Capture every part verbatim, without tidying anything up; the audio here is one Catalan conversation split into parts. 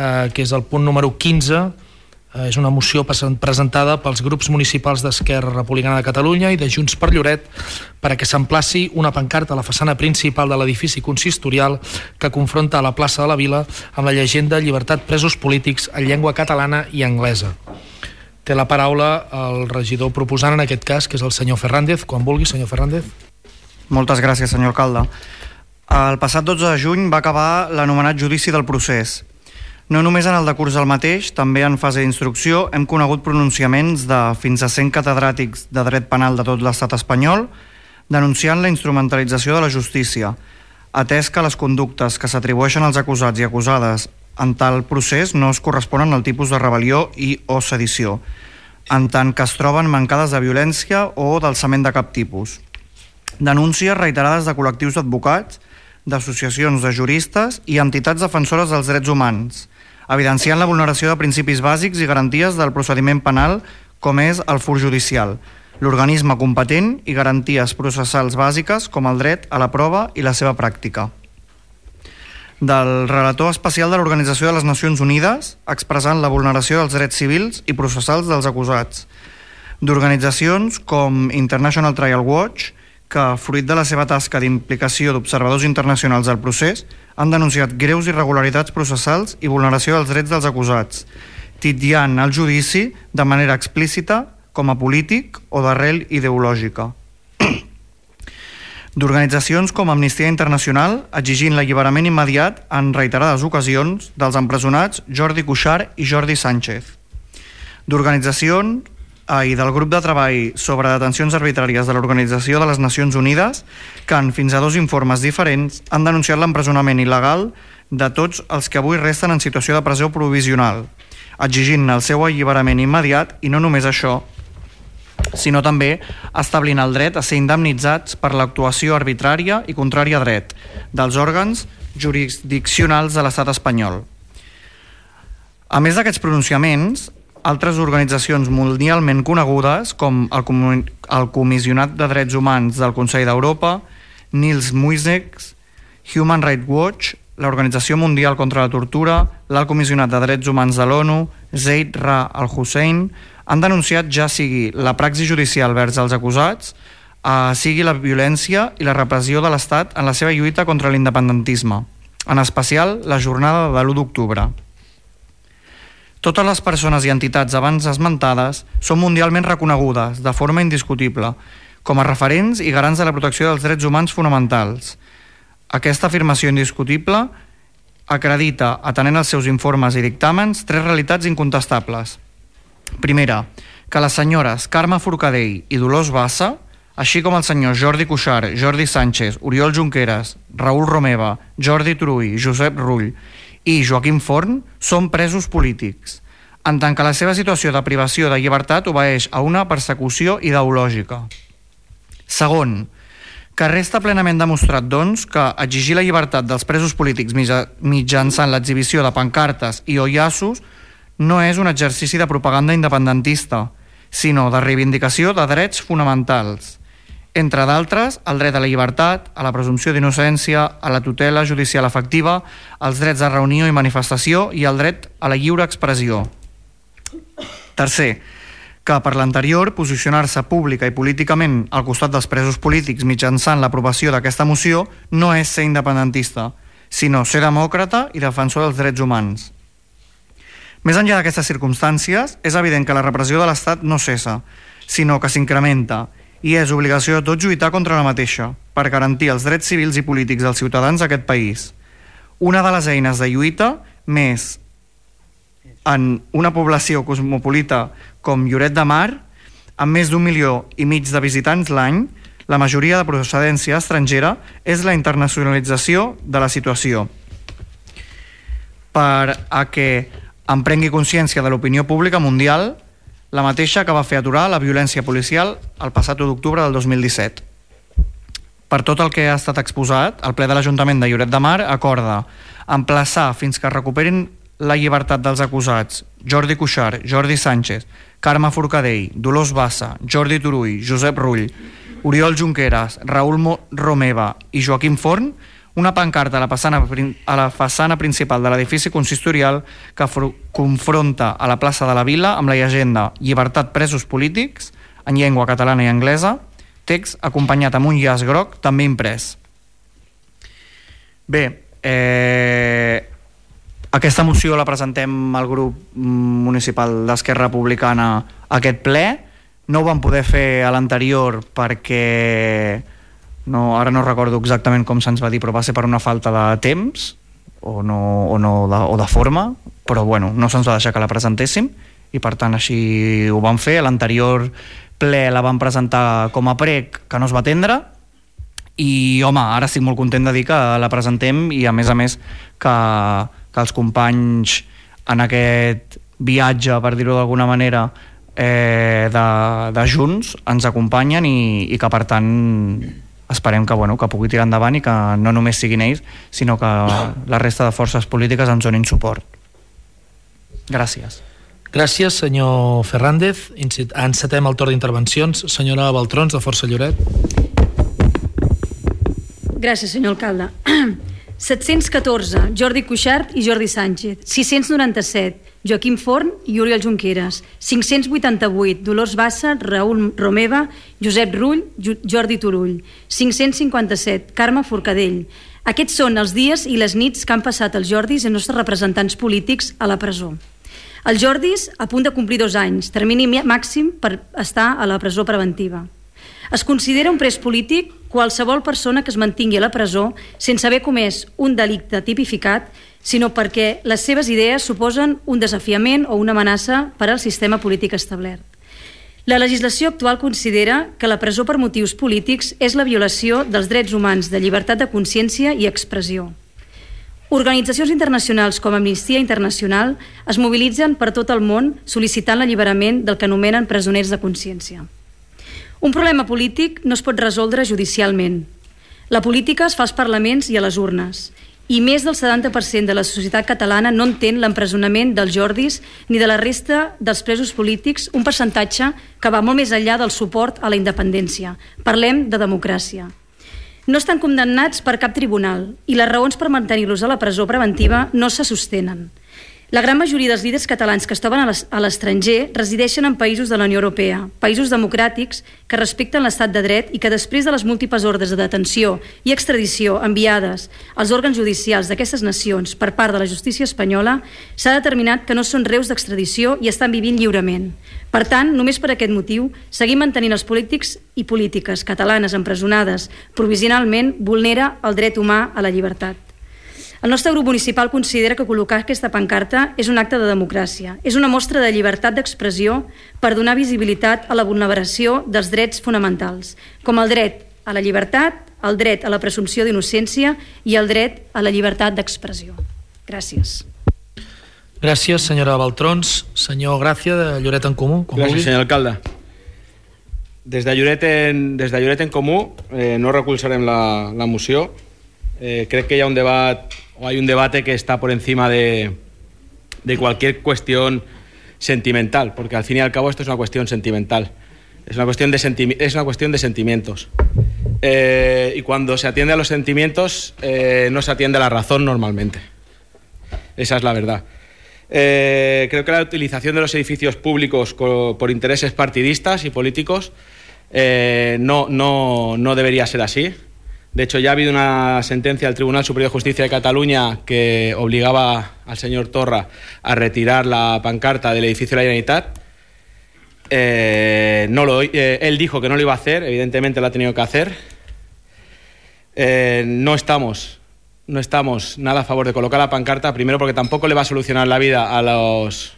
eh, que és el punt número quinze. Eh, és una moció presentada pels grups municipals d'Esquerra Republicana de Catalunya i de Junts per Lloret perquè s'emplaci una pancarta a la façana principal de l'edifici consistorial que confronta la plaça de la Vila amb la llegenda "Llibertat presos polítics" en llengua catalana i anglesa. Té la paraula el regidor proposant en aquest cas, que és el senyor Fernández. Quan vulgui, senyor Fernández. Moltes gràcies, senyor alcalde. El passat dotze de juny va acabar l'anomenat judici del procés. No només en el decurs del mateix, també en fase d'instrucció hem conegut pronunciaments de fins a cent catedràtics de dret penal de tot l'estat espanyol denunciant la instrumentalització de la justícia, atès que les conductes que s'atribueixen als acusats i acusades en tal procés no es corresponen al tipus de rebel·lió i o sedició, en tant que es troben mancades de violència o d'alçament de cap tipus. Denúncies reiterades de col·lectius d'advocats, d'associacions de juristes i entitats defensores dels drets humans, evidenciant la vulneració de principis bàsics i garanties del procediment penal com és el fur judicial, l'organisme competent i garanties processals bàsiques com el dret a la prova i la seva pràctica. Del relator especial de l'Organització de les Nacions Unides, expressant la vulneració dels drets civils i processals dels acusats. D'organitzacions com International Trial Watch, que, fruit de la seva tasca d'implicació d'observadors internacionals al procés, han denunciat greus irregularitats processals i vulneració dels drets dels acusats, titllant el judici de manera explícita com a polític o d'arrel ideològica. D'organitzacions com Amnistia Internacional, exigint l'alliberament immediat en reiterades ocasions dels empresonats Jordi Cuixart i Jordi Sánchez. D'organitzacions i del grup de treball sobre detencions arbitràries de l'Organització de les Nacions Unides, que en fins a dos informes diferents han denunciat l'empresonament il·legal de tots els que avui resten en situació de presó provisional, exigint el seu alliberament immediat i no només això, sinó també establint el dret a ser indemnitzats per l'actuació arbitrària i contrària a dret dels òrgans jurisdiccionals de l'estat espanyol. A més d'aquests pronunciaments, altres organitzacions mundialment conegudes, com el, Com el Comissionat de Drets Humans del Consell d'Europa, Nils Muižnieks, Human Rights Watch, l'Organització Mundial contra la Tortura, l'Alt Comissionat de Drets Humans de l'ONU, Zeid Ra al-Hussein, han denunciat ja sigui la praxi judicial vers els acusats, eh, sigui la violència i la repressió de l'Estat en la seva lluita contra l'independentisme, en especial la jornada de l'u d'octubre. Totes les persones i entitats abans esmentades són mundialment reconegudes, de forma indiscutible, com a referents i garants de la protecció dels drets humans fonamentals. Aquesta afirmació indiscutible acredita, atenent els seus informes i dictàmens, tres realitats incontestables. Primera, que les senyores Carme Forcadell i Dolors Bassa, així com el senyor Jordi Cuixart, Jordi Sánchez, Oriol Junqueras, Raül Romeva, Jordi Turull, Josep Rull i Joaquim Forn, són presos polítics, en tant que la seva situació de privació de llibertat obeeix a una persecució ideològica. Segon, que resta plenament demostrat, doncs, que exigir la llibertat dels presos polítics mitjançant l'exhibició de pancartes i o llaços no és un exercici de propaganda independentista, sinó de reivindicació de drets fonamentals, entre d'altres el dret a la llibertat, a la presumpció d'innocència, a la tutela judicial efectiva, els drets de reunió i manifestació i el dret a la lliure expressió. Tercer, que per l'anterior posicionar-se pública i políticament al costat dels presos polítics mitjançant l'aprovació d'aquesta moció no és ser independentista, sinó ser demòcrata i defensor dels drets humans. Més enllà d'aquestes circumstàncies, és evident que la repressió de l'Estat no cessa, sinó que s'incrementa, i és obligació de tots lluitar contra la mateixa, per garantir els drets civils i polítics dels ciutadans d'aquest país. Una de les eines de lluita, més en una població cosmopolita com Lloret de Mar, amb més d'un milió i mig de visitants l'any, la majoria de procedència estrangera, és la internacionalització de la situació. Per a que en prengui consciència de l'opinió pública mundial, la mateixa que va fer aturar la violència policial el passat u d'octubre del dos mil disset. Per tot el que ha estat exposat, el ple de l'Ajuntament de Lloret de Mar acorda emplaçar fins que recuperin la llibertat dels acusats Jordi Cuixart, Jordi Sánchez, Carme Forcadell, Dolors Bassa, Jordi Turull, Josep Rull, Oriol Junqueras, Raül Romeva i Joaquim Forn una pancarta a la façana, a la façana principal de l'edifici consistorial que confronta a la plaça de la Vila amb la llegenda Llibertat presos polítics, en llengua catalana i anglesa, text acompanyat amb un llaç groc també imprès. Bé, eh, aquesta moció la presentem al grup municipal d'Esquerra Republicana a aquest ple. No ho vam poder fer a l'anterior perquè no, ara no recordo exactament com se'ns va dir, però va ser per una falta de temps o, no, o, no de, o de forma, però bueno, no se'ns va deixar que la presentéssim i per tant així ho vam fer. A l'anterior ple la vam presentar com a prec que no es va atendre i home, ara estic molt content de dir que la presentem i a més a més que, que els companys en aquest viatge, per dir-ho d'alguna manera, eh, de, de Junts ens acompanyen i, i que per tant esperem que, bueno, que pugui tirar endavant i que no només siguin ells sinó que la resta de forces polítiques ens donin suport. Gràcies. Gràcies, senyor Fernández. Encetem el torn d'intervencions. Senyora Baltrons, de Força Lloret. Gràcies, senyor alcalde. set-cents catorze, Jordi Cuixart i Jordi Sánchez. sis-cents noranta-set, Joaquim Forn i Oriol Junqueras. cinc-cents vuitanta-vuit, Dolors Bassa, Raül Romeva, Josep Rull, Jordi Turull. cinc-cents cinquanta-set, Carme Forcadell. Aquests són els dies i les nits que han passat els Jordis i els nostres representants polítics a la presó. Els Jordis a punt de complir dos anys, termini màxim per estar a la presó preventiva. Es considera un pres polític qualsevol persona que es mantingui a la presó sense haver comès un delicte tipificat, sinó perquè les seves idees suposen un desafiament o una amenaça per al sistema polític establert. La legislació actual considera que la presó per motius polítics és la violació dels drets humans de llibertat de consciència i expressió. Organitzacions internacionals com Amnistia Internacional es mobilitzen per tot el món sol·licitant l'alliberament del que anomenen presoners de consciència. Un problema polític no es pot resoldre judicialment. La política es fa als parlaments i a les urnes, i més del setanta per cent de la societat catalana no entén l'empresonament dels Jordis ni de la resta dels presos polítics, un percentatge que va molt més enllà del suport a la independència. Parlem de democràcia. No estan condemnats per cap tribunal i les raons per mantenir-los a la presó preventiva no se sostenen. La gran majoria dels líders catalans que es troben a l'estranger resideixen en països de la Unió Europea, països democràtics que respecten l'estat de dret i que després de les múltiples ordres de detenció i extradició enviades als òrgans judicials d'aquestes nacions per part de la justícia espanyola s'ha determinat que no són reus d'extradició i estan vivint lliurement. Per tant, només per aquest motiu, seguir mantenint els polítics i polítiques catalanes empresonades provisionalment vulnera el dret humà a la llibertat. El nostre grup municipal considera que col·locar aquesta pancarta és un acte de democràcia, és una mostra de llibertat d'expressió per donar visibilitat a la vulneració dels drets fonamentals, com el dret a la llibertat, el dret a la presumpció d'innocència i el dret a la llibertat d'expressió. Gràcies. Gràcies, senyora Baltrons. Senyor Gràcia, de Lloret en Comú. Gràcies, senyor alcalde. Des de Lloret en, des de Lloret en Comú eh, no recolzarem la, la moció. Eh, crec que hi ha un debat o hay un debate que está por encima de, de cualquier cuestión sentimental, porque al fin y al cabo esto es una cuestión sentimental, es una cuestión de, senti- es una cuestión de sentimientos. Eh, y cuando se atiende a los sentimientos eh, no se atiende a la razón normalmente. Esa es la verdad. Eh, creo que la utilización de los edificios públicos co- por intereses partidistas y políticos eh, no, no, no debería ser así. De hecho, ya ha habido una sentencia del Tribunal Superior de Justicia de Cataluña que obligaba al señor Torra a retirar la pancarta del edificio de la Generalitat. Eh, no lo, eh, él dijo que no lo iba a hacer, evidentemente lo ha tenido que hacer. Eh, no estamos, no estamos nada a favor de colocar la pancarta, primero porque tampoco le va a solucionar la vida a los,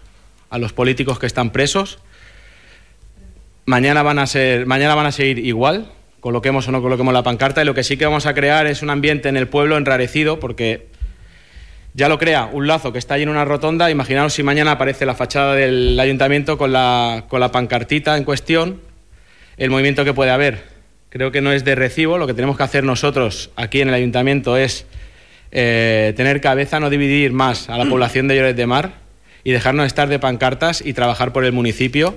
a los políticos que están presos. Mañana van a ser, mañana van a seguir igual, coloquemos o no coloquemos la pancarta, y lo que sí que vamos a crear es un ambiente en el pueblo enrarecido, porque ya lo crea un lazo que está ahí en una rotonda. Imaginaos si mañana aparece la fachada del ayuntamiento con la, con la pancartita en cuestión, el movimiento que puede haber. Creo que no es de recibo. Lo que tenemos que hacer nosotros aquí en el ayuntamiento es eh, tener cabeza, no dividir más a la población de Lloret de Mar y dejarnos estar de pancartas y trabajar por el municipio,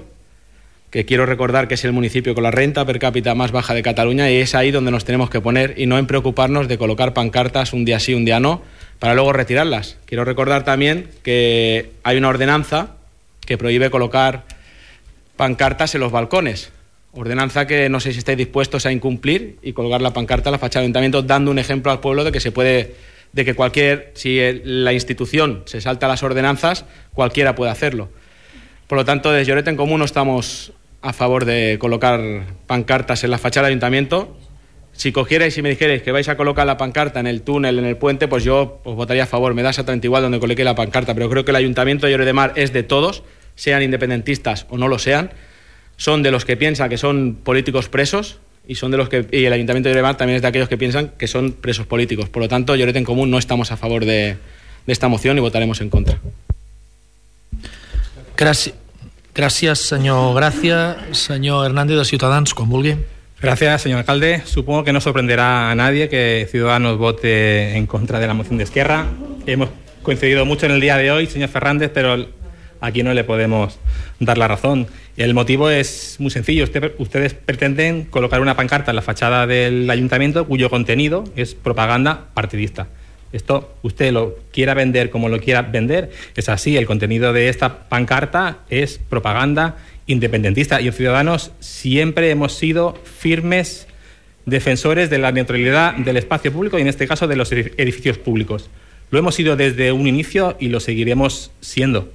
que quiero recordar que es el municipio con la renta per cápita más baja de Cataluña, y es ahí donde nos tenemos que poner y no en preocuparnos de colocar pancartas un día sí, un día no, para luego retirarlas. Quiero recordar también que hay una ordenanza que prohíbe colocar pancartas en los balcones. Ordenanza que no sé si estáis dispuestos a incumplir y colgar la pancarta en la fachada del ayuntamiento, dando un ejemplo al pueblo de que se puede, de que cualquier, si la institución se salta las ordenanzas, cualquiera puede hacerlo. Por lo tanto, desde Lloret en Comú no estamos a favor de colocar pancartas en la fachada del ayuntamiento. Si cogierais y me dijerais que vais a colocar la pancarta en el túnel, en el puente, pues yo os votaría a favor. Me da exactamente igual donde coloque la pancarta, pero creo que el ayuntamiento de Lloret de Mar es de todos, sean independentistas o no lo sean. Son de los que piensan que son políticos presos y son de los que y el Ayuntamiento de Lloret de Mar también es de aquellos que piensan que son presos políticos. Por lo tanto, Lloret en Comú no estamos a favor de, de esta moción y votaremos en contra. Gracias, gracias señor Gracia. Señor Hernández de Ciutadans, quan vulgui. Gracias, señor alcalde. Supongo que no sorprenderá a nadie que Ciudadanos vote en contra de la moción de Esquerra. Hemos coincidido mucho en el día de hoy, señor Fernández, pero aquí no le podemos dar la razón. El motivo es muy sencillo. Usted, ustedes pretenden colocar una pancarta en la fachada del ayuntamiento cuyo contenido es propaganda partidista. Esto, usted lo quiera vender como lo quiera vender, es así. El contenido de esta pancarta es propaganda independentista. Y en Ciudadanos siempre hemos sido firmes defensores de la neutralidad del espacio público y en este caso de los edificios públicos. Lo hemos sido desde un inicio y lo seguiremos siendo,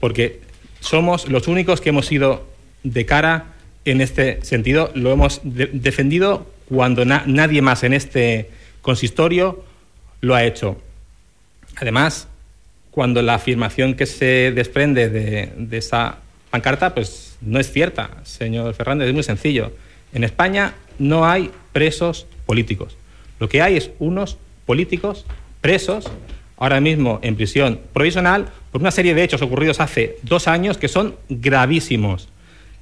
porque somos los únicos que hemos ido de cara en este sentido. Lo hemos de- defendido cuando na- nadie más en este consistorio lo ha hecho. Además, cuando la afirmación que se desprende de, de esa pancarta, pues no es cierta, señor Fernández, es muy sencillo. En España no hay presos políticos. Lo que hay es unos políticos presos ahora mismo en prisión provisional por una serie de hechos ocurridos hace dos años que son gravísimos.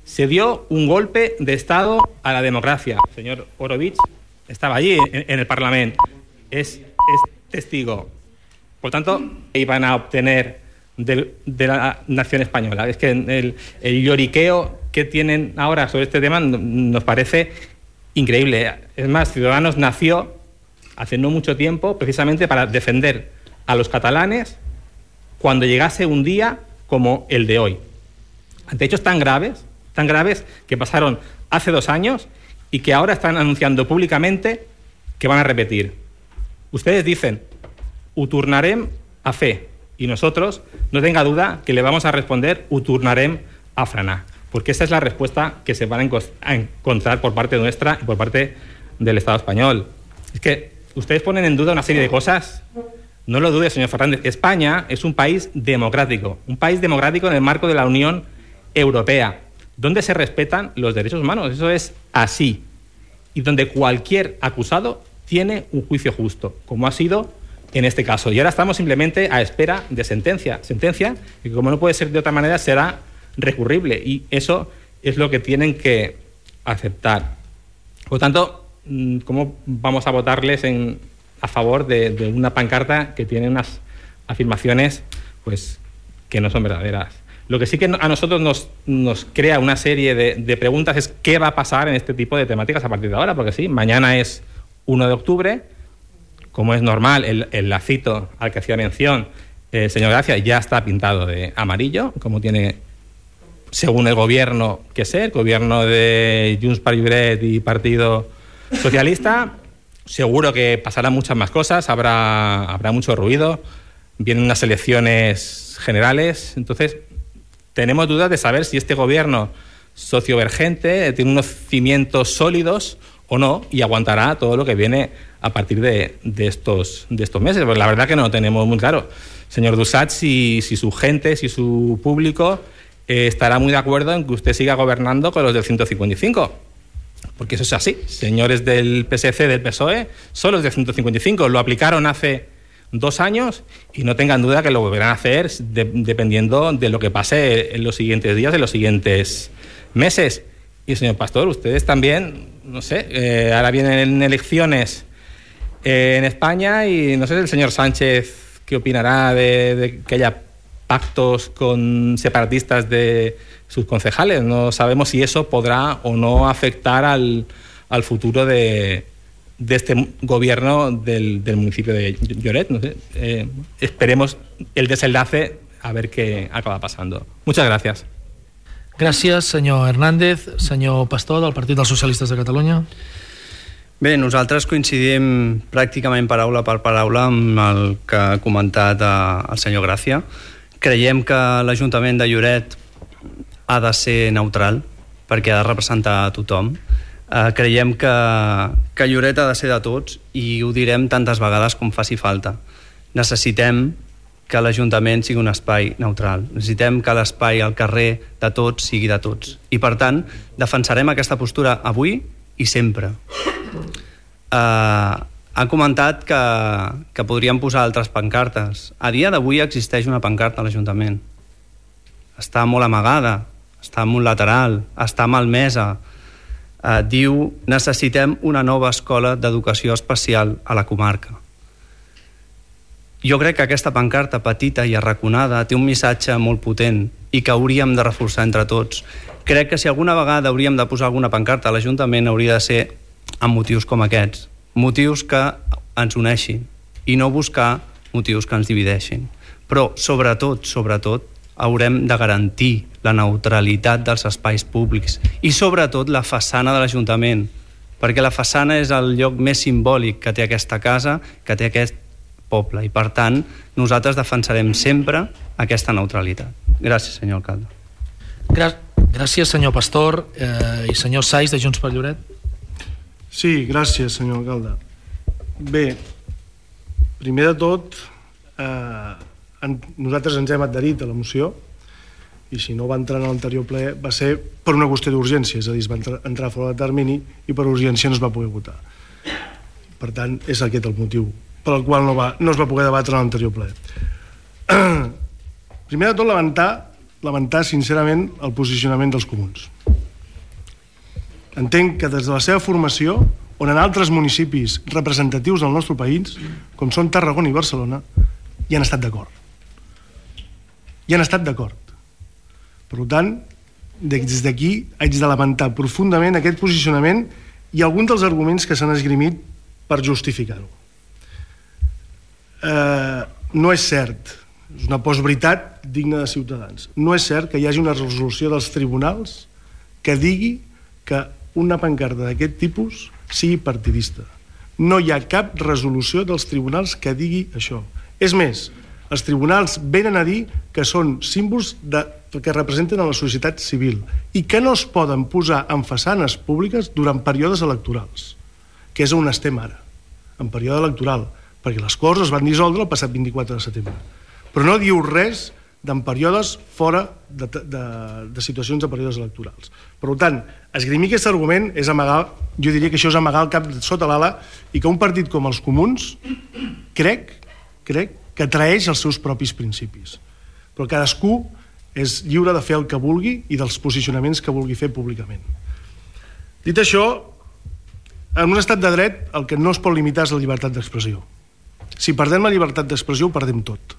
Se dio un golpe de Estado a la democracia. El señor Orovich estaba allí en, en el Parlamento. Es, es testigo. Por tanto, iban a obtener de, de la nación española. Es que el, el lloriqueo que tienen ahora sobre este tema nos parece increíble. Es más, Ciudadanos nació hace no mucho tiempo precisamente para defender a los catalanes cuando llegase un día como el de hoy. Ante hechos tan graves, tan graves que pasaron hace dos años y que ahora están anunciando públicamente que van a repetir. Ustedes dicen, ho tornarem a fer, y nosotros, no tenga duda que le vamos a responder, ho tornarem a frenar, porque esa es la respuesta que se van a, enco- a encontrar por parte nuestra y por parte del Estado español. Es que ustedes ponen en duda una serie de cosas. No lo dude, señor Fernández. España es un país democrático, un país democrático en el marco de la Unión Europea, donde se respetan los derechos humanos. Eso es así. Y donde cualquier acusado tiene un juicio justo, como ha sido en este caso. Y ahora estamos simplemente a espera de sentencia. Sentencia que, como no puede ser de otra manera, será recurrible. Y eso es lo que tienen que aceptar. Por lo tanto, ¿cómo vamos a votarles en... a favor de, de una pancarta que tiene unas afirmaciones pues que no son verdaderas? Lo que sí que a nosotros nos, nos crea una serie de, de preguntas es qué va a pasar en este tipo de temáticas a partir de ahora, porque sí, mañana es uno de octubre, como es normal, el, el lacito al que hacía mención el señor Gracia ya está pintado de amarillo, como tiene, según el gobierno que ser, gobierno de Junts per Lloret y Partido Socialista. Seguro que pasarán muchas más cosas, habrá, habrá mucho ruido, vienen unas elecciones generales, entonces tenemos dudas de saber si este gobierno sociovergente tiene unos cimientos sólidos o no y aguantará todo lo que viene a partir de, de, estos, de estos meses. Pues la verdad que no lo tenemos muy claro. Señor Dusach, si, si su gente, si su público eh, estará muy de acuerdo en que usted siga gobernando con los del ciento cincuenta y cinco. Porque eso es así. Señores del P S C, del P S O E, son los del ciento cincuenta y cinco. Lo aplicaron hace dos años y no tengan duda que lo volverán a hacer de, dependiendo de lo que pase en los siguientes días, en los siguientes meses. Y, señor Pastor, ustedes también, no sé, eh, ahora vienen elecciones eh, en España y no sé el señor Sánchez qué opinará de, de que haya pactos con separatistas de sus concejales. No sabemos si eso podrá o no afectar al, al futuro de, de este gobierno del, del municipio de Lloret. No sé. Eh, esperemos el desenlace a ver qué acaba pasando. Muchas gracias. Gràcies, senyor Hernández. Senyor Pastor, del Partit dels Socialistes de Catalunya. Bé, nosaltres coincidim pràcticament paraula per paraula amb el que ha comentat el senyor Gràcia. Creiem que l'Ajuntament de Lloret ha de ser neutral perquè ha de representar a tothom. Eh, creiem que, que Lloret ha de ser de tots i ho direm tantes vegades com faci falta. Necessitem que l'Ajuntament sigui un espai neutral. Necessitem que l'espai al carrer de tots sigui de tots. I per tant, defensarem aquesta postura avui i sempre. Uh, ha comentat que, que podríem posar altres pancartes. A dia d'avui existeix una pancarta a l'Ajuntament. Està molt amagada, està en un lateral, està malmesa. Uh, diu, necessitem una nova escola d'educació especial a la comarca. Jo crec que aquesta pancarta petita i arraconada té un missatge molt potent i que hauríem de reforçar entre tots. Crec que si alguna vegada hauríem de posar alguna pancarta a l'Ajuntament hauria de ser amb motius com aquests, motius que ens uneixin i no buscar motius que ens divideixin. Però, sobretot, sobretot, haurem de garantir la neutralitat dels espais públics i, sobretot, la façana de l'Ajuntament, perquè la façana és el lloc més simbòlic que té aquesta casa, que té aquest poble, i, per tant, nosaltres defensarem sempre aquesta neutralitat. Gràcies, senyor alcalde. Gràcies, senyor Pastor. Eh, I senyor Saiz, de Junts per Lloret. Sí, gràcies, senyor alcalde. Bé, primer de tot, eh, en, nosaltres ens hem adherit a la moció i si no va entrar en l'anterior ple va ser per una qüestió d'urgència, és a dir, es va entrar, entrar fora de termini i per urgència no es va poder votar. Per tant, és aquest el motiu per al qual no, va, no es va poder debatre en l'anterior ple. Primer de tot, lamentar, lamentar sincerament el posicionament dels comuns. Entenc que des de la seva formació, on en altres municipis representatius del nostre país, com són Tarragona i Barcelona, hi han estat d'acord. Hi han estat d'acord. Per tant, des d'aquí haig de lamentar profundament aquest posicionament i alguns dels arguments que s'han esgrimit per justificar-ho. Eh, no és cert, és una postveritat digna de Ciutadans, no és cert que hi hagi una resolució dels tribunals que digui que una pancarta d'aquest tipus sigui partidista. No hi ha cap resolució dels tribunals que digui això. És més, els tribunals venen a dir que són símbols de, que representen a la societat civil i que no es poden posar en façanes públiques durant períodes electorals, que és on estem ara, en període electoral, perquè les Corts es van dissoldre el passat vint-i-quatre de setembre. Però no diu res d'en períodes fora de, de, de situacions de períodes electorals. Per tant, esgrimir aquest argument és amagar, jo diria que això és amagar el cap sota l'ala i que un partit com els comuns crec, crec que traeix els seus propis principis. Però cadascú és lliure de fer el que vulgui i dels posicionaments que vulgui fer públicament. Dit això, en un estat de dret el que no es pot limitar és la llibertat d'expressió. Si perdem la llibertat d'expressió ho perdem tot.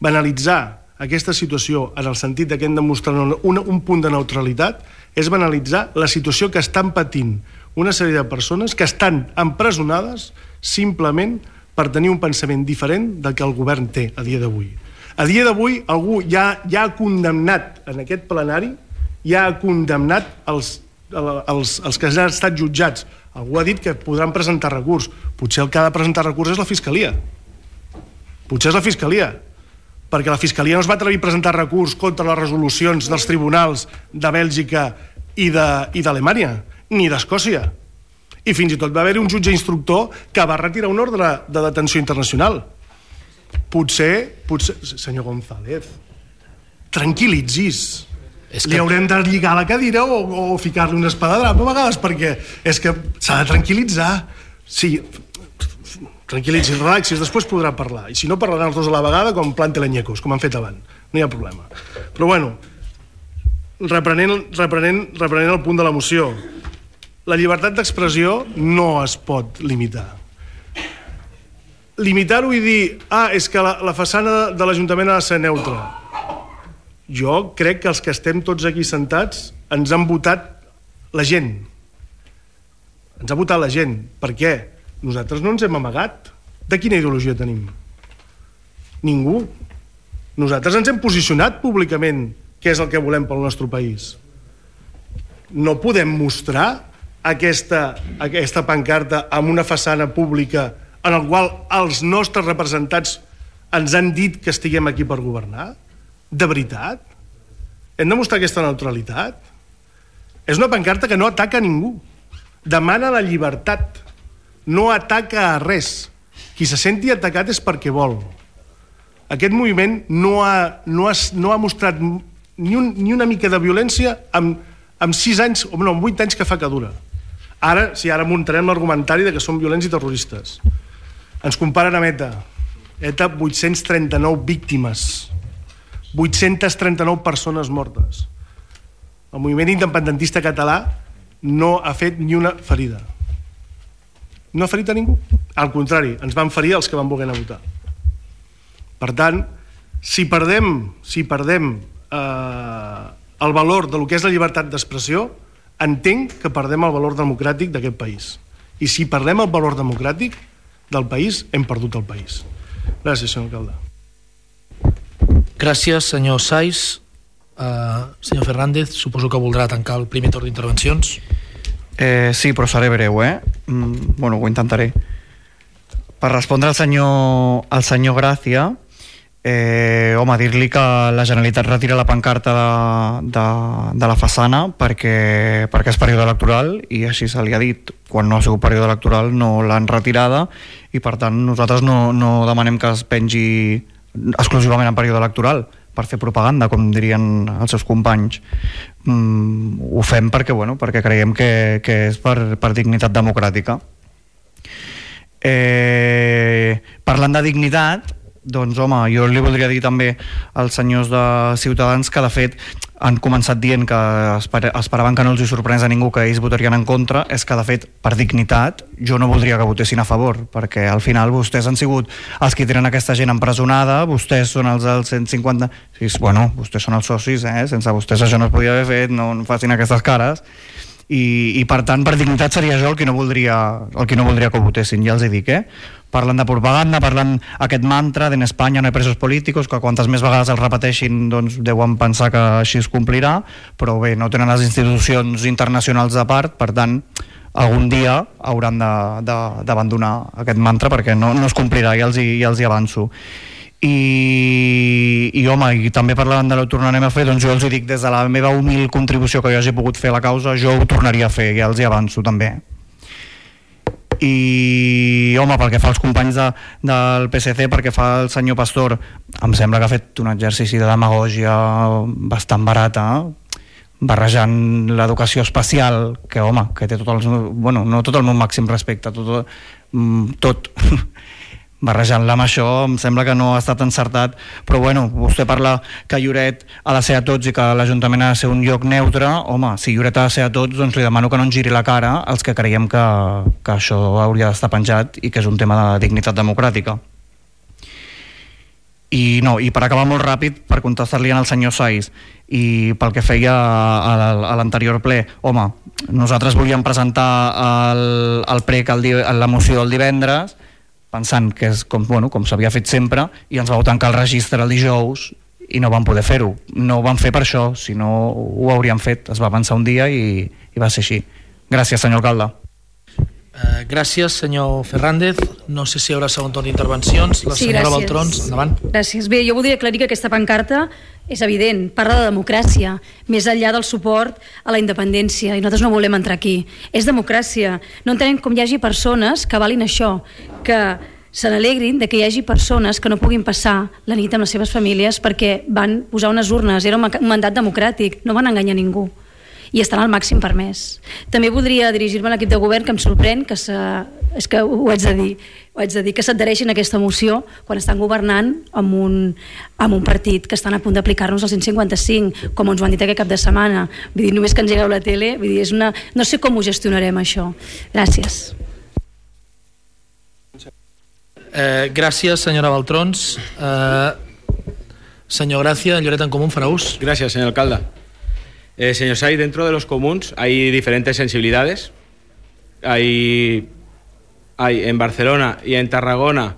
Banalitzar aquesta situació en el sentit que hem de mostrar un, un punt de neutralitat és banalitzar la situació que estan patint una sèrie de persones que estan empresonades simplement per tenir un pensament diferent del que el govern té a dia d'avui. A dia d'avui algú ja, ja ha condemnat en aquest plenari, ja ha condemnat els, els, els que han estat jutjats. Algú ha dit que podran presentar recurs. Potser el que ha de presentar recurs és la Fiscalia. Potser és la Fiscalia. Perquè la Fiscalia no es va atrevir a presentar recurs contra les resolucions dels tribunals de Bèlgica i d'Alemanya, ni d'Escòcia. I fins i tot va haver-hi un jutge instructor que va retirar un ordre de detenció internacional. Potser, potser... Senyor González, tranquil·litzis. Que... Li haurem de lligar la cadira o, o ficar-li un espadadrap a vegades, perquè és que s'ha de tranquil·litzar. Sí, tranquil·litzis, relaxis, després podrà parlar. I si no, parlaran els dos a la vegada com plantelenyecos, com han fet abans. No hi ha problema. Però bueno, reprenent, reprenent, reprenent el punt de la moció, la llibertat d'expressió no es pot limitar. limitar-ho i dir ah, és que la, la façana de l'Ajuntament ha de ser neutra. Jo crec que els que estem tots aquí sentats ens han votat la gent. Ens ha votat la gent. Per què? Nosaltres no ens hem amagat. De quina ideologia tenim? Ningú. Nosaltres ens hem posicionat públicament què és el que volem pel nostre país. No podem mostrar aquesta, aquesta pancarta amb una façana pública en el qual els nostres representats ens han dit que estiguem aquí per governar? De veritat? Hem de mostrar aquesta neutralitat? És una pancarta que no ataca a ningú. Demana la llibertat. No ataca a res. Qui se senti atacat és perquè vol. Aquest moviment no ha, no ha, no ha mostrat ni, un, ni una mica de violència amb, amb sis anys, o no, amb vuit anys que fa que dura. Ara, sí, ara muntarem l'argumentari de que són violents i terroristes. Ens comparen amb ETA. ETA, vuit-cents trenta-nou víctimes. vuit-cents trenta-nou persones mortes. El moviment independentista català no ha fet ni una ferida. No ha ferit a ningú. Al contrari, ens van ferir els que van voler anar a votar. Per tant, si perdem, si perdem eh, el valor del que és la llibertat d'expressió, entenc que perdem el valor democràtic d'aquest país. I si perdem el valor democràtic del país, hem perdut el país. Gràcies, senyor alcalde. Gràcies, senyor Saiz. Uh, senyor Fernández, suposo que voldrà tancar el primer torn d'intervencions. Eh, sí, però seré breu, eh? Mm, bueno, ho intentaré. Per respondre al senyor, al senyor Gràcia, eh, home, dir-li que la Generalitat retira la pancarta de, de, de la façana perquè, perquè és període electoral i així se li ha dit. Quan no ha sigut període electoral no l'han retirada i per tant nosaltres no, no demanem que es pengi exclusivament en període electoral per fer propaganda, com dirien els seus companys. Mm, ho fem perquè, bueno, perquè creiem que, que és per, per dignitat democràtica. Eh, parlant de dignitat, doncs home, jo li voldria dir també als senyors de Ciutadans que de fet han començat dient que esper esperaven que no els hi sorprenés a ningú que ells votarien en contra. És que de fet, per dignitat, jo no voldria que votessin a favor, perquè al final vostès han sigut els que tenen aquesta gent empresonada, vostès són els del cent cinquanta... Sí, bueno, vostès són els socis, eh? Sense vostès això no es podia haver fet, no, no facin aquestes cares. I, i per tant, per dignitat seria jo el que no voldria, el que no voldria que ho votessin, ja els hi dic, eh? Parlen de propaganda, parlen aquest mantra d'en Espanya no hi ha presos polítics, que quantes més vegades el repeteixin doncs deuen pensar que així es complirà, però bé, no tenen les institucions internacionals a part, per tant algun dia hauran d'abandonar aquest mantra perquè no, no es complirà, ja els hi, ja els hi avanço. I, i home, i també parlant de ho tornarem a fer, doncs jo els hi dic des de la meva humil contribució que jo hagi pogut fer a la causa, jo ho tornaria a fer, ja els hi avanço també. I home, pel que fa als companys de, del P S C, perquè fa el senyor Pastor, em sembla que ha fet un exercici de demagògia bastant barata, barrejant l'educació especial, que home, que té tot el, bueno, no tot el meu màxim respecte, tot, tot barrejant-la amb això em sembla que no ha estat encertat, però bueno, vostè parla que Lloret ha de ser a tots i que l'Ajuntament ha de ser un lloc neutre. Home, si Lloret ha de ser a tots, doncs li demano que no ens giri la cara als que creiem que, que això hauria d'estar penjat i que és un tema de dignitat democràtica. I no, i per acabar molt ràpid, per contestar-li al senyor Saiz i pel que feia a l'anterior ple, home, nosaltres volíem presentar el, el prec, el, la moció el divendres, pensant que és com, bueno, com s'havia fet sempre, i ens vau tancar el registre el dijous i no vam poder fer-ho. No ho vam fer per això, si no ho hauríem fet. Es va avançar un dia i, i va ser així. Gràcies, senyor alcalde. Uh, gràcies, senyor Fernández. No sé si hi haurà segon torn d'intervencions. La sí, senyora gràcies. Baltrons, endavant. Gràcies. Bé, jo voldria aclarir que aquesta pancarta és evident, parla de democràcia, més enllà del suport a la independència, i nosaltres no volem entrar aquí. És democràcia. No entenem com hi hagi persones que valin això, que se n'alegrin de que hi hagi persones que no puguin passar la nit amb les seves famílies perquè van posar unes urnes, era un mandat democràtic, no van enganyar ningú i estan al màxim permès. També voldria dirigir-me a l'equip de govern, que em sorprèn que se, és que ho haig de dir, ho haig de dir que s'adhereixin a aquesta moció quan estan governant amb un, amb un partit que estan a punt d'aplicar-nos el cent cinquanta-cinc, com ens ho han dit aquest cap de setmana. Vull dir, només que engegueu la tele, vull dir, és una... no sé com ho gestionarem això. Gràcies. Eh, gràcies, senyora Baltrons. Eh, señor Gracia, Lloret en Común, farà ús. Gracias, señor alcalde. Eh, señor Say, dentro de los comuns hay diferentes sensibilidades. Hay, hay en Barcelona y en Tarragona.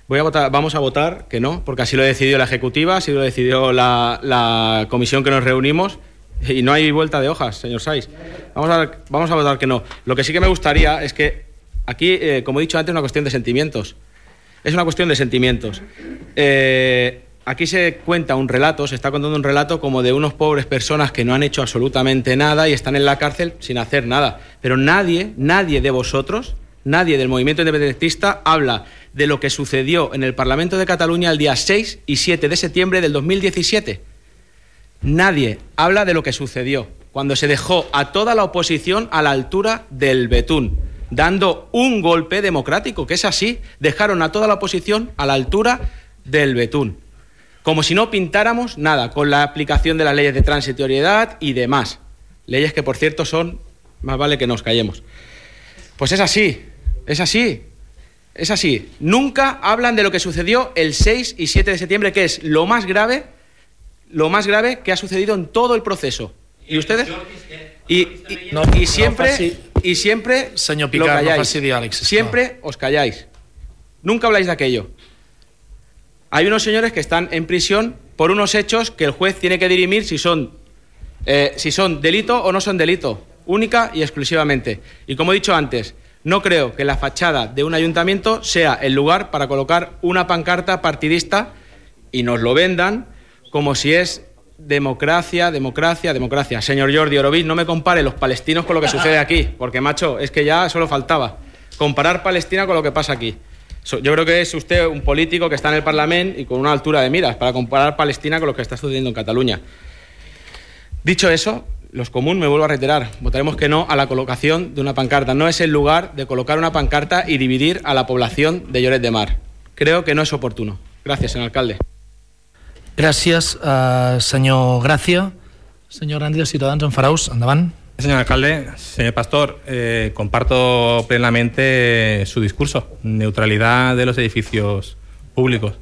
Voy a votar, vamos a votar que no, porque así lo decidió la ejecutiva, así lo decidió la, la comisión que nos reunimos, y no hay vuelta de hojas, señor Sais. Vamos a, vamos a votar que no. Lo que sí que me gustaría es que aquí, eh, como he dicho antes, es una cuestión de sentimientos. Es una cuestión de sentimientos. Eh, aquí se cuenta un relato, se está contando un relato como de unos pobres personas que no han hecho absolutamente nada y están en la cárcel sin hacer nada. Pero nadie, nadie de vosotros, nadie del movimiento independentista habla de lo que sucedió en el Parlamento de Cataluña el día seis y siete de septiembre del dos mil diecisiete. Nadie habla de lo que sucedió cuando se dejó a toda la oposición a la altura del betún, dando un golpe democrático, que es así. Dejaron a toda la oposición a la altura del betún, como si no pintáramos nada, con la aplicación de las leyes de transitoriedad y demás. Leyes que, por cierto, son, más vale que nos callemos. Pues es así, es así, es así. Nunca hablan de lo que sucedió el seis y siete de septiembre, que es lo más grave, lo más grave que ha sucedido en todo el proceso. ¿Y ustedes? Y, y, no, y siempre, no faci... y siempre Señor Picar, lo calláis. no faci diàleg, siempre os calláis. Nunca habláis de aquello. Hay unos señores que están en prisión por unos hechos que el juez tiene que dirimir si son, eh, si son delito o no son delito, única y exclusivamente. Y como he dicho antes, no creo que la fachada de un ayuntamiento sea el lugar para colocar una pancarta partidista y nos lo vendan como si es democracia, democracia, democracia. Señor Jordi Oroví, no me compare los palestinos con lo que sucede aquí, porque, macho, es que ya solo faltaba comparar Palestina con lo que pasa aquí. Yo creo que es usted un político que está en el Parlamento y con una altura de miras para comparar Palestina con lo que está sucediendo en Cataluña. Dicho eso, los comuns, me vuelvo a reiterar, votaremos que no a la colocación de una pancarta. No es el lugar de colocar una pancarta y dividir a la población de Lloret de Mar. Creo que no es oportuno. Gracias, señor alcalde. Gràcies, uh, senyor Gràcia. Senyor Grandi de Ciutadans, en farà ús. Endavant. Señor alcalde, señor Pastor, eh, comparto plenamente su discurso. Neutralidad de los edificios públicos.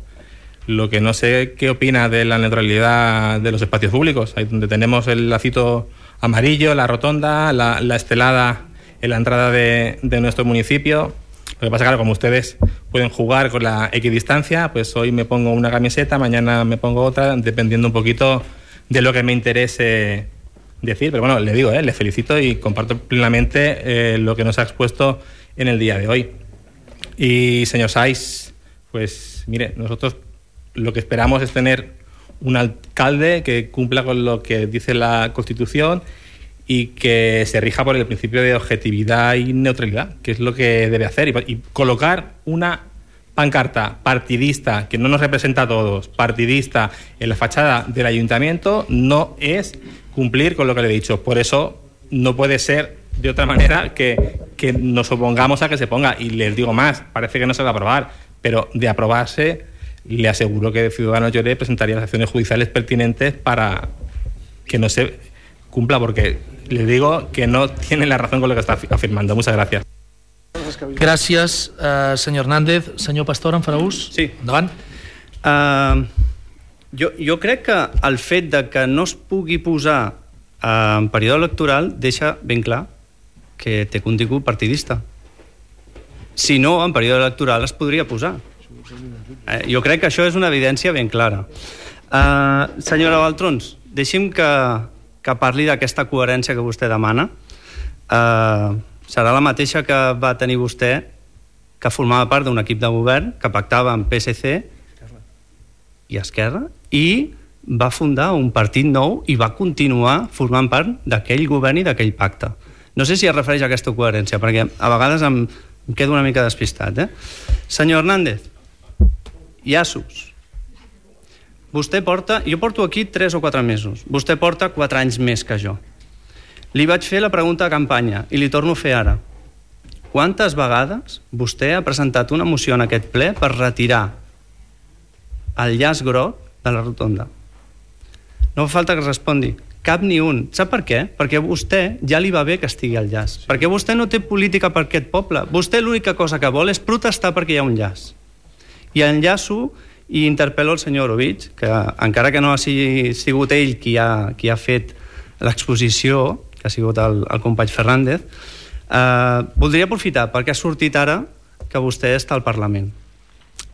Lo que no sé qué opina de la neutralidad de los espacios públicos, ahí donde tenemos el lacito amarillo, la rotonda, la, la estelada en la entrada de, de nuestro municipio. Lo que pasa es que, claro, como ustedes pueden jugar con la equidistancia, pues hoy me pongo una camiseta, mañana me pongo otra, dependiendo un poquito de lo que me interese decir. Pero bueno, le digo, eh, le felicito y comparto plenamente eh, lo que nos ha expuesto en el día de hoy. Y, señor Sais, pues mire, nosotros lo que esperamos es tener un alcalde que cumpla con lo que dice la Constitución y que se rija por el principio de objetividad y neutralidad, que es lo que debe hacer. Y, y colocar una pancarta partidista que no nos representa a todos, partidista, en la fachada del ayuntamiento, no es cumplir con lo que le he dicho. Por eso no puede ser de otra manera que, que nos opongamos a que se ponga. Y les digo más, parece que no se va a aprobar, pero de aprobarse, le aseguro que Ciudadanos Lloret presentaría las acciones judiciales pertinentes para que no se cumpla, porque le digo que no tiene la razón con lo que está afirmando. Muchas gracias. Gràcies, uh, senyor Hernández. Senyor Pastor, en farà ús? Sí. Endavant. Uh, jo, jo crec que el fet de que no es pugui posar uh, en període electoral deixa ben clar que té contingut partidista. Si no, en període electoral es podria posar. Uh, jo crec que això és una evidència ben clara. Uh, senyora Baltrons, deixi'm que, que parli d'aquesta coherència que vostè demana. Uh, serà la mateixa que va tenir vostè, que formava part d'un equip de govern que pactava amb P S C i Esquerra i va fundar un partit nou i va continuar formant part d'aquell govern i d'aquell pacte. No sé si es refereix a aquesta coherència, perquè a vegades em, em quedo una mica despistat. Eh? Senyor Hernández, llaços. Vostè porta... Jo porto aquí tres o quatre mesos. Vostè porta quatre anys més que jo. Li vaig fer la pregunta de campanya i li torno a fer ara. Quantes vegades vostè ha presentat una moció en aquest ple per retirar el llaç groc de la rotonda? No fa falta que respongui. Cap ni un. Sap per què? Perquè a vostè ja li va bé que estigui el llaç. Sí. Perquè vostè no té política per aquest poble. Vostè l'única cosa que vol és protestar perquè hi ha un llaç. I enllaço i interpel·lo el senyor Orovich, que encara que no ha sigut ell qui ha, qui ha fet l'exposició, que ha sigut el, el company Fernández, eh, voldria aprofitar perquè ha sortit ara que vostè està al Parlament.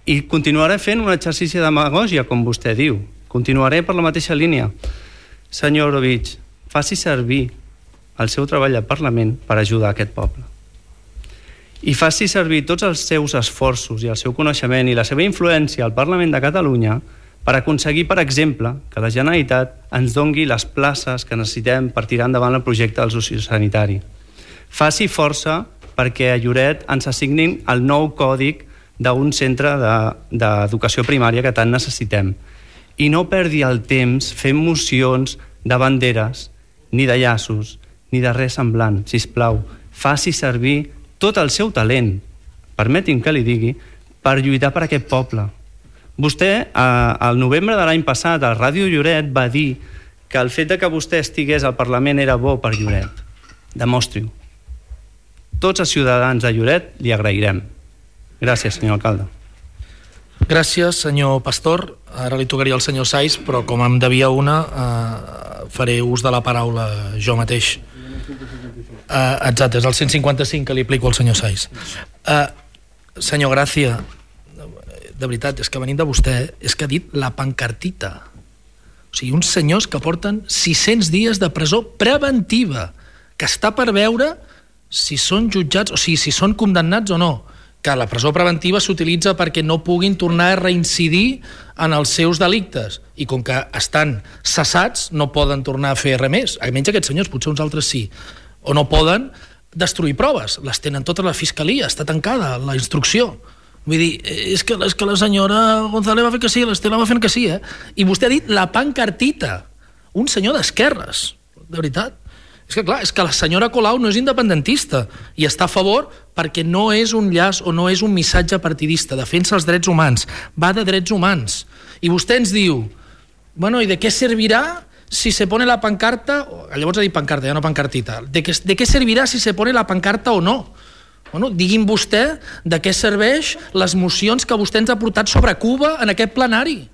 I continuaré fent un exercici de demagògia, com vostè diu. Continuaré per la mateixa línia. Senyor Orovich, faci servir el seu treball al Parlament per ajudar aquest poble. I faci servir tots els seus esforços i el seu coneixement i la seva influència al Parlament de Catalunya per aconseguir, per exemple, que la Generalitat ens dongui les places que necessitem per tirar endavant el projecte del sociosanitari. Faci força perquè a Lloret ens assignin el nou còdic d'un centre d'educació primària que tant necessitem. I no perdi el temps fent mocions de banderes, ni de llaços, ni de res semblant. Sisplau, faci servir tot el seu talent, permeti'm que li digui, per lluitar per aquest poble. Vostè, al novembre de l'any passat, a Ràdio Lloret, va dir que el fet que vostè estigués al Parlament era bo per Lloret. Demostri-ho. Tots els ciutadans de Lloret li agrairem. Gràcies, senyor alcalde. Gràcies, senyor Pastor. Ara li tocaria al senyor Saiz, però com em devia una, eh, faré ús de la paraula jo mateix. Uh, exacte, és el cent cinquanta-cinc que li aplico al senyor Saiz. Uh, senyor Gràcia, de veritat, és que venint de vostè, és que ha dit la pancartita. O sigui, uns senyors que porten sis-cents dies de presó preventiva, que està per veure si són jutjats, o sigui, si són condemnats o no. Que la presó preventiva s'utilitza perquè no puguin tornar a reincidir en els seus delictes. I com que estan cessats, no poden tornar a fer res més. Almenys aquests senyors, potser uns altres sí. O no poden destruir proves. Les tenen totes la fiscalia, està tancada la instrucció. Vull dir, és que, és que la senyora González va fer que sí, l'Estela va fent que sí, eh? I vostè ha dit la pancartita. Un senyor d'esquerres, de veritat. És que clar, és que la senyora Colau no és independentista i està a favor perquè no és un llaç o no és un missatge partidista, defensa els drets humans, va de drets humans. I vostè ens diu, bueno, ¿y de qué servirá si se pone la pancarta? Llavors ha dit pancarta, ja no pancartita. ¿De qué, de qué servirá si se pone la pancarta o no? Bueno, digui'm vostè de què serveix les mocions que vostè ens ha portat sobre Cuba en aquest plenari.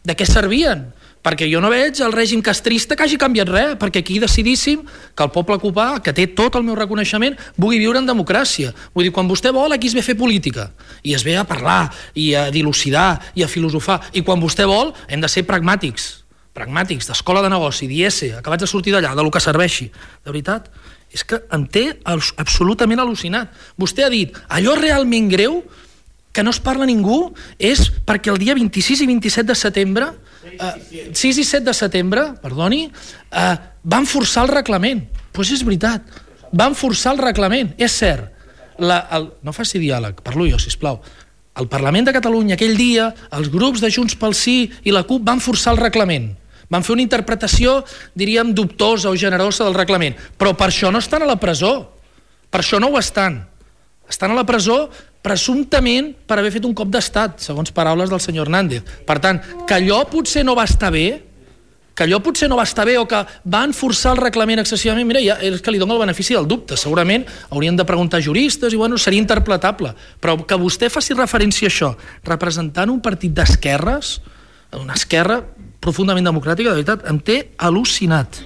De què servien? Perquè jo no veig el règim castrista que hagi canviat res, perquè aquí decidíssim que el poble cubà, que té tot el meu reconeixement, vulgui viure en democràcia. Vull dir, quan vostè vol, aquí es ve a fer política, i es ve a parlar, i a dilucidar, i a filosofar, i quan vostè vol, hem de ser pragmàtics, pragmàtics, d'escola de negoci, d'I S, acabats de sortir d'allà, de lo que serveixi. De veritat, és que em té absolutament al·lucinat. Vostè ha dit, allò realment greu, que no es parla ningú, és perquè el dia vint-i-sis i vint-i-set de setembre, eh, sis i set de setembre, perdoni, eh, van forçar el reglament. Doncs pues és veritat, van forçar el reglament, és cert. La, el, no faci diàleg, parlo jo, sisplau. El Parlament de Catalunya, aquell dia, els grups de Junts pel Sí i la CUP van forçar el reglament. Van fer una interpretació, diríem, dubtosa o generosa del reglament. Però per això no estan a la presó. Per això no ho estan. Estan a la presó presumptament per haver fet un cop d'estat, segons paraules del senyor Hernández. Per tant, que allò potser no va estar bé, que allò potser no va estar bé o que van forçar el reglament excessivament, mira, ja és que li dono el benefici del dubte. Segurament haurien de preguntar juristes i bueno, seria interpretable. Però que vostè faci referència a això, representant un partit d'esquerres, una esquerra profundament democràtica, de veritat, em té al·lucinat.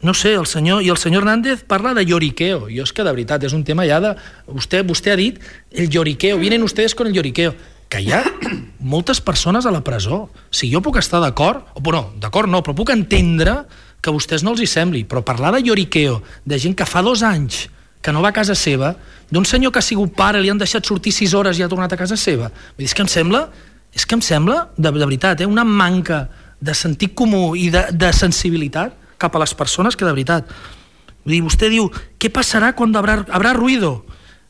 No sé, el senyor, i el senyor Hernández parla de lloriqueo. Jo és que de veritat, és un tema ja de... Vostè, vostè ha dit el lloriqueo, vienen ustedes con el lloriqueo. Que hi ha moltes persones a la presó. Si jo puc estar d'acord, o no, d'acord no, però puc entendre que a vostès no els hi sembli, però parlar de lloriqueo, de gent que fa dos anys que no va a casa seva, d'un senyor que ha sigut pare, li han deixat sortir sis hores i ha tornat a casa seva, vull dir, és que em sembla, és que em sembla, de, de veritat, eh, una manca de sentit comú i de, de sensibilitat cap a les persones que de veritat. Vull dir, vostè diu, què passarà quan habrà, habrà ruido?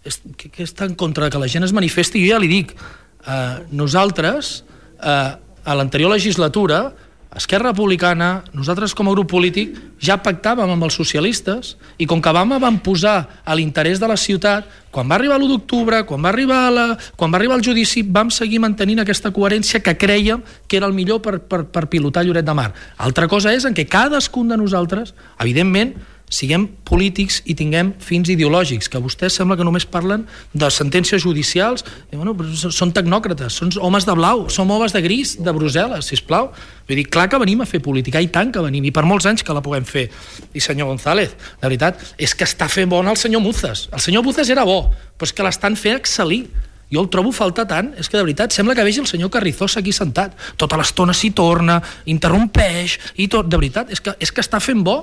És, que, que està en contra que la gent es manifesti? Jo ja li dic, eh, nosaltres, eh, a l'anterior legislatura, Esquerra Republicana, nosaltres com a grup polític, ja pactàvem amb els socialistes i com que vam, vam posar a l'interès de la ciutat, quan va arribar l'u d'octubre, quan va arribar la, quan va arribar el judici, vam seguir mantenint aquesta coherència que crèiem que era el millor per, per, per pilotar Lloret de Mar. Altra cosa és en què cadascun de nosaltres, evidentment, siguem polítics i tinguem fins ideològics, que vostès sembla que només parlen de sentències judicials, i, bueno, però són tecnòcrates, són homes de blau, som homes de gris de Brussel·les, sisplau. Vull dir, clar que venim a fer política, i tant que venim, i per molts anys que la puguem fer. I senyor González, de veritat, és que està fent bon el senyor Muzas. El senyor Muzas era bo, però és que l'estan fent excel·lir. Jo el trobo faltar tant, és que de veritat sembla que vegi el senyor Carrizosa aquí sentat. Tota l'estona s'hi torna, interrompeix, i tot, de veritat, és que, és que està fent bo.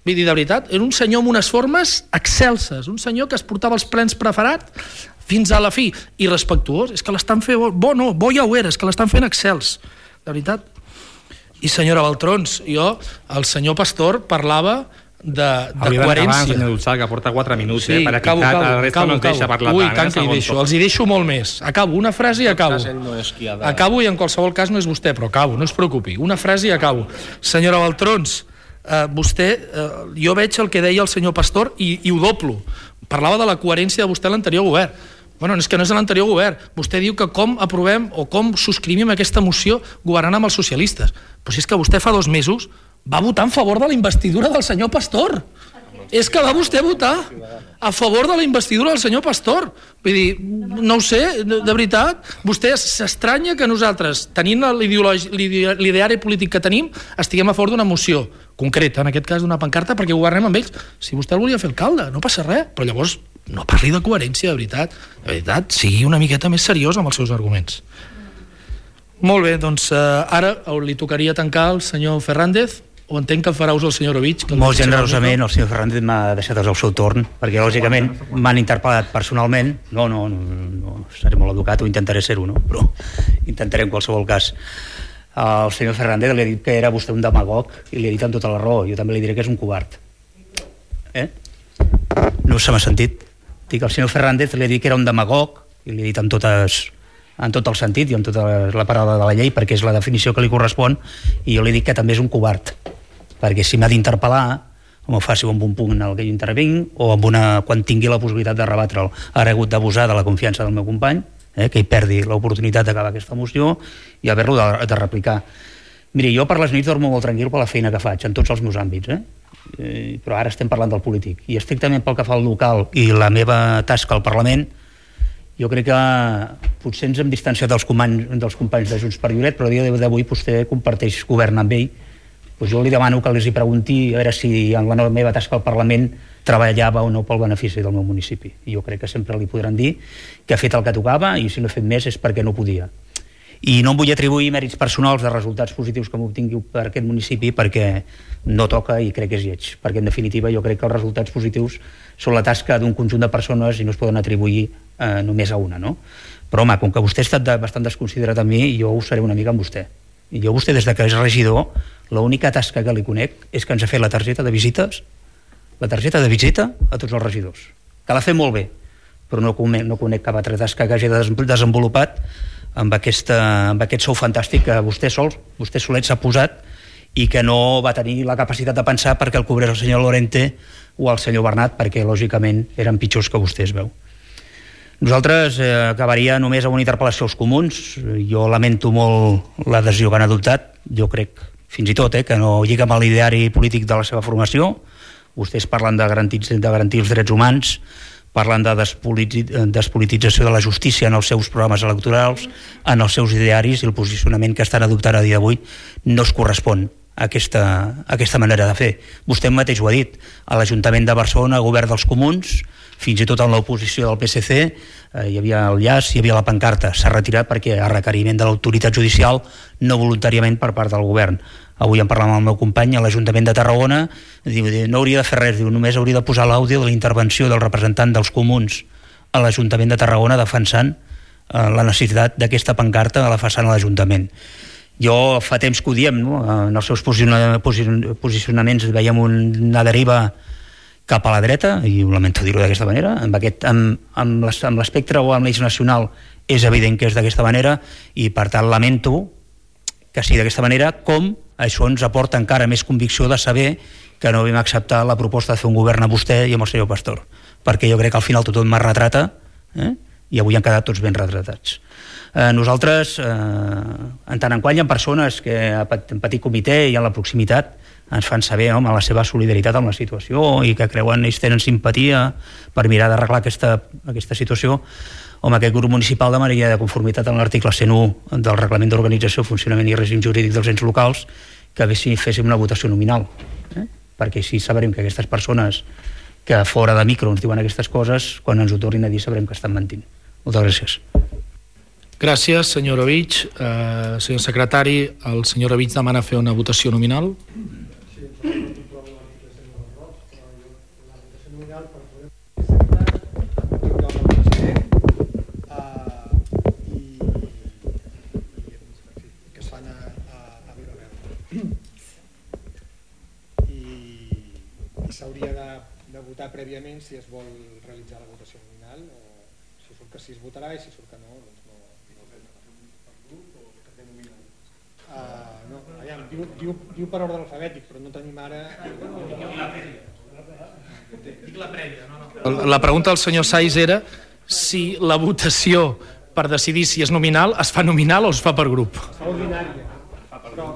Vull dir, de veritat, era un senyor amb unes formes excelses, un senyor que es portava els plens preferat fins a la fi, i respectuós. És que l'estan fent bo, bo no, bo ja ho era, és que l'estan fent excels, de veritat. I senyora Baltrons, jo, el senyor Pastor parlava de, de coherència. Senyor Dulçal, que porta quatre minuts, sí, eh, per acabo, equitat, acabo, la resta acabo, no ens deixa acabo. parlar Ui, tant, tant eh, que hi deixo, els hi deixo molt més. Acabo, una frase i acabo. Acabo, i en qualsevol cas no és vostè, però acabo, no es preocupi. Una frase i acabo. Senyora Baltrons, Uh, vostè, uh, jo veig el que deia el senyor Pastor i, i ho doblo. Parlava de la coherència de vostè a l'anterior govern. Bueno, és que no és l'anterior govern. Vostè diu que com aprovem o com subscrivim aquesta moció governant amb els socialistes. Però si és que vostè fa dos mesos va votar en favor de la investidura del senyor Pastor. És que va vostè votar a favor de la investidura del senyor Pastor. Vull dir, no ho sé, de, de veritat, vostè s'estranya que nosaltres, tenint l'ideari polític que tenim, estiguem a favor d'una moció concreta, en aquest cas d'una pancarta, perquè governem amb ells. Si vostè el volia fer alcalde, no passa res, però llavors no parli de coherència, de veritat. De veritat, sigui una miqueta més seriós amb els seus arguments. Molt bé, doncs eh, ara li tocaria tancar al senyor Fernández, o entenc que el farà ús el senyor Orovich. Molt generosament, el senyor Fernández m'ha deixat el seu torn, perquè lògicament m'han interpel·lat personalment. No, no, no, no seré molt educat, o intentaré ser-ho, no? Però intentaré en qualsevol cas. El senyor Fernández li ha dit que era vostè un demagog i li ha dit amb tota la raó. Jo també li diré que és un covard. Eh? No se m'ha sentit. Dic, el senyor Fernández li ha dit que era un demagog i li ha dit amb totes... en tot el sentit i en tota la paraula de la llei, perquè és la definició que li correspon, i jo li dic que també és un covard, perquè si m'ha d'interpel·lar, o m'ho faci amb un punt en el que jo intervinc, o amb una, quan tingui la possibilitat de rebatre'l, ara he hagut d'abusar de la confiança del meu company, eh, que hi perdi l'oportunitat d'acabar aquesta moció i haver-lo de, de replicar. Miri, jo per les nits dormo molt tranquil per la feina que faig, en tots els meus àmbits, eh? Eh, però ara estem parlant del polític, i estrictament pel que fa al local i la meva tasca al Parlament, jo crec que potser ens hem distanciat dels companys, dels companys de Junts per Lloret, però a dia d'avui vostè comparteix govern amb ell. Pues jo li demano que els hi pregunti a veure si en la meva tasca al Parlament treballava o no pel benefici del meu municipi. I jo crec que sempre li podran dir que ha fet el que tocava, i si no ha fet més és perquè no podia. I no em vull atribuir mèrits personals de resultats positius que m'obtingui per aquest municipi, perquè no toca i crec que és lleig. Perquè en definitiva jo crec que els resultats positius són la tasca d'un conjunt de persones i no es poden atribuir eh, només a una, no? Però home, com que vostè ha estat de, bastant desconsiderat amb mi, jo ho seré una mica amb vostè. I jo vostè, des de que és regidor, l'única tasca que li conec és que ens ha fet la targeta de visites, la targeta de visita a tots els regidors, que l'ha fet molt bé, però no conec, no conec cap altra tasca que hagi desenvolupat amb, aquesta, amb aquest sou fantàstic que vostè sol, vostè solet s'ha posat, i que no va tenir la capacitat de pensar perquè el cobrés el senyor Lorente o el senyor Bernat, perquè lògicament eren pitjors que vostè, es veu. Nosaltres eh, acabaria només amb una interpel·lació als comuns. Jo lamento molt l'adhesió que han adoptat. Jo crec, fins i tot, eh, que no lliga amb l'ideari polític de la seva formació. Vostès parlen de garantir, de garantir els drets humans, parlen de despolitització de la justícia en els seus programes electorals, en els seus idearis, i el posicionament que estan adoptant a dia d'avui no es correspon a aquesta, a aquesta manera de fer. Vostè mateix ho ha dit, a l'Ajuntament de Barcelona, govern dels comuns, fins i tot en l'oposició del P S C, eh, hi havia el llaç, hi havia la pancarta, s'ha retirat perquè a requeriment de l'autoritat judicial, no voluntàriament per part del govern. Avui en parlàvem amb el meu company a l'Ajuntament de Tarragona, diu, no hauria de fer res, diu, només hauria de posar l'àudio de la intervenció del representant dels comuns a l'Ajuntament de Tarragona defensant eh, la necessitat d'aquesta pancarta a la façana de l'Ajuntament. Jo fa temps que ho diem, no? En els seus posicionaments veiem una deriva cap a la dreta, i ho lamento dir-ho d'aquesta manera, amb, aquest, amb, amb l'espectre o amb l'eix nacional és evident que és d'aquesta manera, i per tant lamento que sigui d'aquesta manera, com això ens aporta encara més convicció de saber que no vam acceptar la proposta de fer un govern amb vostè i amb el senyor Pastor, perquè jo crec que al final tothom me retrata, eh? i avui han quedat tots ben retratats. Eh, nosaltres, eh, en tant en quant hi ha persones que en petit comitè i a la proximitat ens fan saber, home, la seva solidaritat amb la situació i que creuen, ells tenen simpatia per mirar d'arreglar aquesta, aquesta situació, home, aquest grup municipal demanaria de conformitat amb l'article cent u del Reglament d'Organització, Funcionament i Règim Jurídic dels Ens Locals, que si féssim una votació nominal, eh? perquè així sabrem que aquestes persones que fora de micro ens diuen aquestes coses, quan ens ho tornin a dir sabrem que estan mentint. Moltes gràcies. Gràcies, senyor Ovich. Uh, senyor secretari, el senyor Ovich demana fer una votació nominal. S'hauria de, de votar prèviament si es vol realitzar la votació nominal, o si surt que sí es votarà i si surt que no, doncs no. Uh, no, aviam, diu, diu, diu per ordre alfabètic, però no tenim ara... Dic la prèvia, no, no. La pregunta del senyor Saiz era si la votació per decidir si és nominal es fa nominal o es fa per grup. Es fa ordinària, però...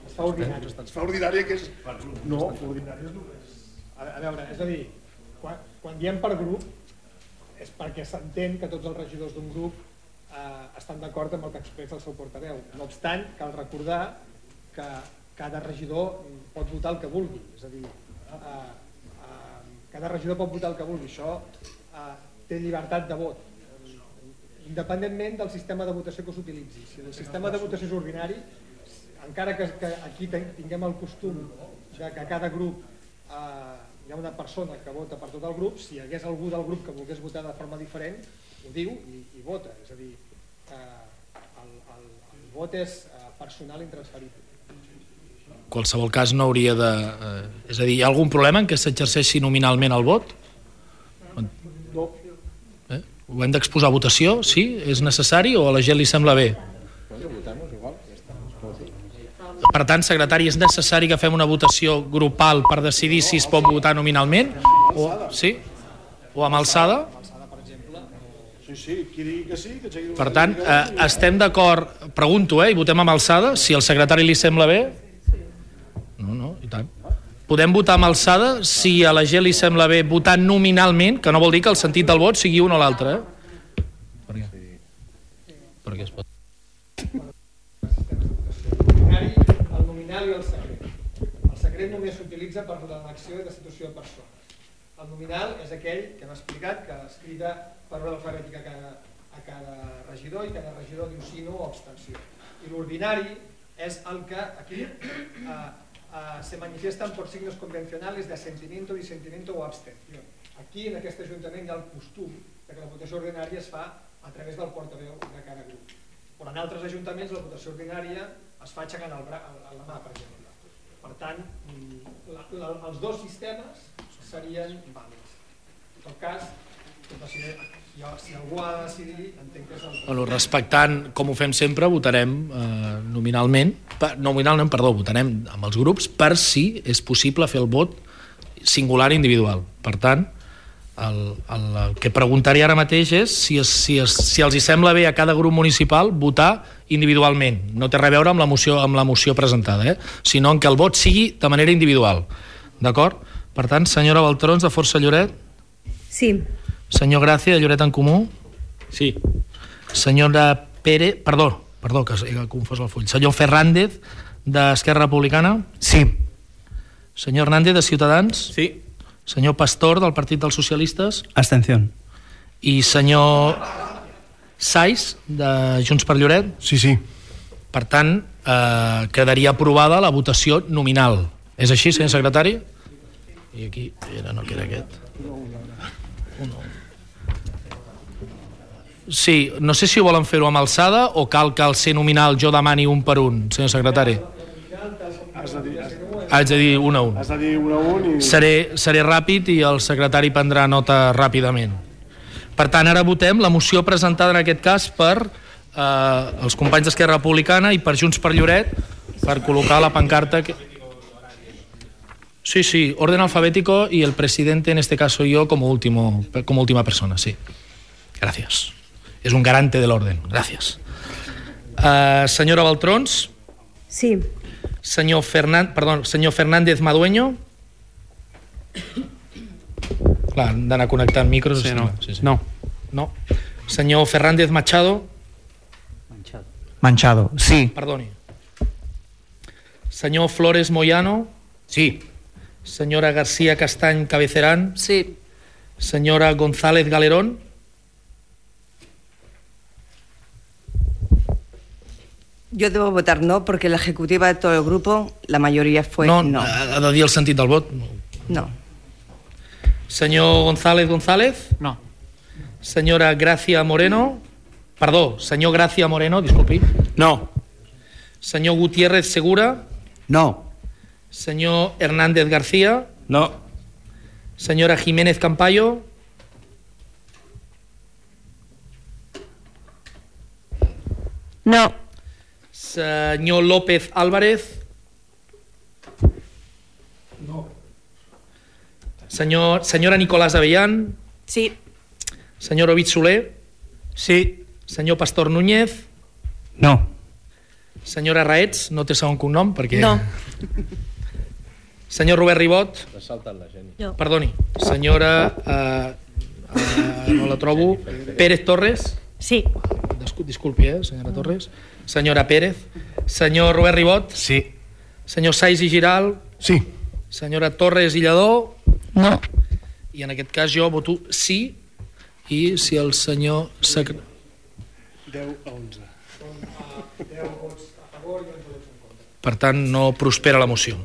Es fa ordinària. Es fa ordinària que és... No, ordinària és només. A veure, és a dir, quan, quan diem per grup és perquè s'entén que tots els regidors d'un grup eh, estan d'acord amb el que expressa el seu portaveu. No obstant, cal recordar que cada regidor pot votar el que vulgui. És a dir, eh, eh, cada regidor pot votar el que vulgui. Això eh, té llibertat de vot, independentment del sistema de votació que s'utilitzi. Si el sistema de votació és ordinari, encara que, que aquí tinguem el costum de que a cada grup eh, hi ha una persona que vota per tot el grup, si hi hagués algú del grup que volgués votar de forma diferent, ho diu i, i vota. És a dir, eh, el, el, el vot és eh, personal intransferible. En qualsevol cas no hauria de... Eh, és a dir, hi ha algun problema en què s'exerceixi nominalment el vot? No. Eh? Ho hem d'exposar a votació? Sí? És necessari o a la gent li sembla bé? Per tant, secretari, és necessari que fem una votació grupal per decidir si es pot votar nominalment? O, sí? O amb alçada? Sí, sí, qui digui que sí, que aixequi... Per tant, eh, estem d'acord, pregunto, eh, i votem amb alçada, si al secretari li sembla bé? No, no, i tant. Podem votar amb alçada si a la gent li sembla bé votar nominalment, que no vol dir que el sentit del vot sigui un o l'altre, eh? Per què? Per què es pot? I el secret. El secret només s'utilitza per l'elecció i destitució de persona. El nominal és aquell que hem explicat, que es crida per ordre alfabètic a cada, a cada regidor i cada regidor diu sí, no o abstenció. I l'ordinari és el que aquí eh, eh, se manifiestan por signos convencionales de asentimiento, disentimiento o abstención. Aquí, en aquest Ajuntament, hi ha el costum que la votació ordinària es fa a través del portaveu de cada grup. Però en altres ajuntaments la votació ordinària es fa aixecant el bra, el, la mà, per exemple. Per tant, la, la, els dos sistemes serien vàlids. En tot cas, si, si algú ha de decidir, entenc que és el... Bueno, respectant, com ho fem sempre, votarem eh, nominalment, per, nominalment, perdó, votarem amb els grups per si és possible fer el vot singular i individual. Per tant, el, el, el que preguntaré ara mateix és si, es, si, es, si els hi sembla bé a cada grup municipal votar individualment. No té res a veure amb la moció, amb la moció presentada, eh? Sinó en que el vot sigui de manera individual. D'acord? Per tant, senyora Baltrons, de Força Lloret? Sí. Senyor Gràcia, de Lloret en Comú? Sí. Senyora Pérez... Perdó, perdó, que he confós el full. Senyor Fernández, d'Esquerra Republicana? Sí. Senyor Hernández, de Ciutadans? Sí. Senyor Pastor, del Partit dels Socialistes? Abstención. I senyor Saiz, de Junts per Lloret? Sí, sí. Per tant, eh, quedaria aprovada la votació nominal. És així, senyor secretari? I aquí, era, no queda aquest. Un, sí, no sé si volen fer-ho amb alçada o cal que al ser nominal jo demani un per un, senyor secretari. Has de dir, Haig de dir un a un. has de dir un a un i... Seré, seré ràpid i el secretari prendrà nota ràpidament. Per tant, ara votem la moció presentada en aquest cas per eh, els companys d'Esquerra Republicana i per Junts per Lloret per col·locar la pancarta que... Sí, sí, orden alfabético y el presidente, en este caso yo, como, último, como última persona, sí. Gracias. Es un garante del orden. Gracias. Uh, senyora Baltrons. Sí. Senyor, Fernan... Perdó, senyor Fernández Madueño. Clar, han d'anar connectant micros. Sí, no. Sí, sí. No. No. Senyor Fernández Machado. Manchado. Manchado, sí. Perdoni. Senyor Flores Moyano. Sí. Senyora García Castany Cabecerán. Sí. Senyora González Galerón. Yo debo votar no porque la ejecutiva de todo el grupo, la mayoría fue no. no. Ha de dir el sentit del vot. No. Senyor González González. No. Senyora Gracia Moreno. Perdó, senyor Gracia Moreno, disculpi. No. Senyor Gutiérrez Segura. No. Senyor Hernández García. No. Senyora Jiménez Campayo. No. Senyor López Álvarez. No. Senyor, senyora Nicolás Avellán. Sí. Senyor Ovid Soler. Sí. Senyor Pastor Núñez. No. Senyora Raets, no té segon cognom perquè... No. Senyor Robert Ribot. Jo. Perdoni. Senyora... Eh, eh, no la trobo. Pérez Torres. Sí. Discul- Disculpi, eh, senyora Torres. Senyora Pérez. Senyor Robert Ribot. Sí. Senyor Saiz i Giral. Sí. Senyora Torres i Lledó. No. I en aquest cas jo voto sí. I si el senyor... Secre... deu a onze. Per tant, no prospera la moció.